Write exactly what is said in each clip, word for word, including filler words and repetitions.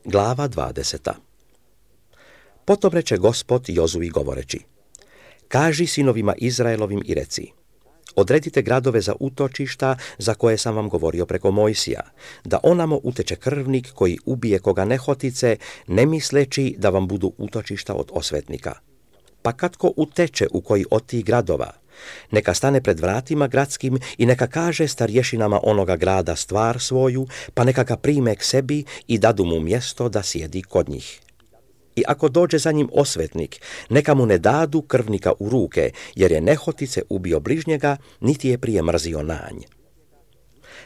Glava dvadeseta. Potom reče Gospod Jozuji govoreći: Kaži sinovima Izraelovim i reci: Odredite gradove za utočišta za koje sam vam govorio preko Mojsija, da onamo uteče krvnik koji ubije koga nehotice, ne misleći da vam budu utočišta od osvetnika. Pa kad ko uteče u koji od tih gradova, neka stane pred vratima gradskim i neka kaže starješinama onoga grada stvar svoju, pa neka ga prime k sebi i dadu mu mjesto da sjedi kod njih. I ako dođe za njim osvetnik, neka mu ne dadu krvnika u ruke, jer je nehotice ubio bližnjega, niti je prije mrzio nanj.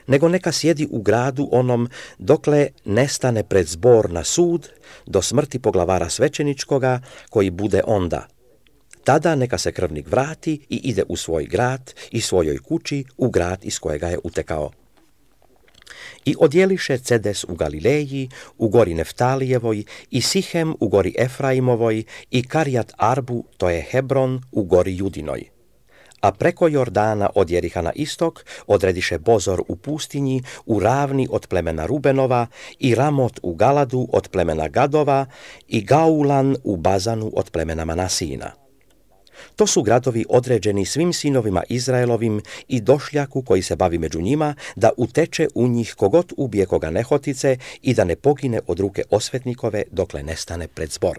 Nego neka sjedi u gradu onom, dokle ne stane pred zbor na sud, do smrti poglavara svećeničkoga, koji bude onda. Tada neka se krvnik vrati i ide u svoj grad i svojoj kući, u grad iz kojega je utekao. I odjeliše Cedes u Galileji, u gori Neftalijevoj, i Sihem u gori Efraimovoj, i Karijat Arbu, to je Hebron, u gori Judinoj. A preko Jordana od Jeriha na istok odrediše Bozor u pustinji, u ravni od plemena Rubenova, i Ramot u Galadu od plemena Gadova, i Gaulan u Bazanu od plemena Manasina. To su gradovi određeni svim sinovima Izraelovim i došljaku koji se bavi među njima, da uteče u njih kogod ubije koga nehotice i da ne pogine od ruke osvetnikove dokle ne stane pred zbor.